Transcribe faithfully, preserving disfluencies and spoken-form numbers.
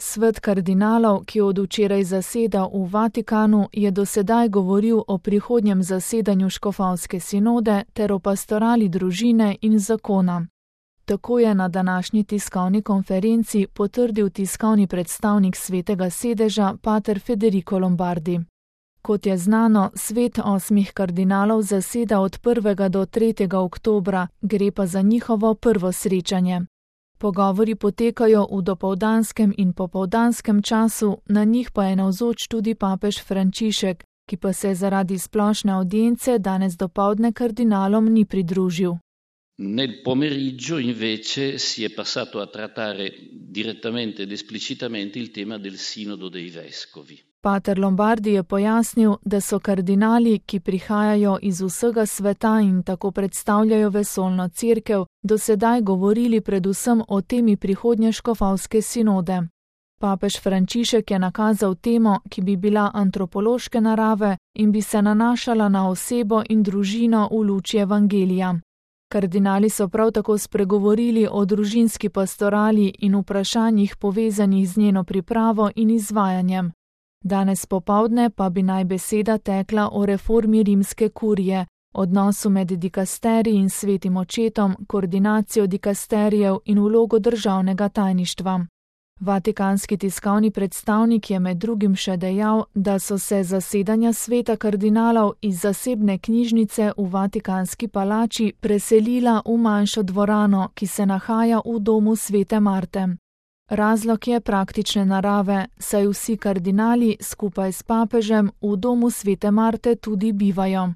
Svet kardinalov, ki od včeraj zaseda v Vatikanu, je dosedaj govoril o prihodnjem zasedanju škofovske sinode ter o pastorali družine in zakona. Tako je na današnji tiskovni konferenci potrdil tiskovni predstavnik Svetega sedeža pater Federico Lombardi. Kot je znano, svet osmih kardinalov zaseda od prvega do tretjega oktobra, gre pa za njihovo prvo srečanje. Pogovori potekajo v dopoldanskem in popoldanskem času, na njih pa je navzoč tudi papež Frančišek, ki pa se zaradi splošne audience danes dopoldne kardinalom ni pridružil. Nel pomeriggio invece si è passato a trattare direttamente ed esplicitamente il tema del sinodo dei vescovi. Pater Lombardi je pojasnil, da so kardinali, ki prihajajo iz vsega sveta in tako predstavljajo vesoljno cerkev, do sedaj govorili predvsem o temi prihodnje škofovske sinode. Papež Frančišek je nakazal temo, ki bi bila antropološke narave in bi se nanašala na osebo in družino v luči evangelija. Kardinali so prav tako spregovorili o družinski pastorali in vprašanjih povezanih z njeno pripravo in izvajanjem. Danes popovdne pa bi naj beseda tekla o reformi rimske kurije, odnosu med dikasteriji in svetim očetom, koordinacijo dikasterijev in vlogo državnega tajništva. Vatikanski tiskovni predstavnik je med drugim še dejal, da so se zasedanja sveta kardinalov iz zasebne knjižnice v Vatikanski palači preselila v manjšo dvorano, ki se nahaja v domu svete Marte. Razlog je praktične narave, saj vsi kardinali skupaj s papežem v domu svete Marte tudi bivajo.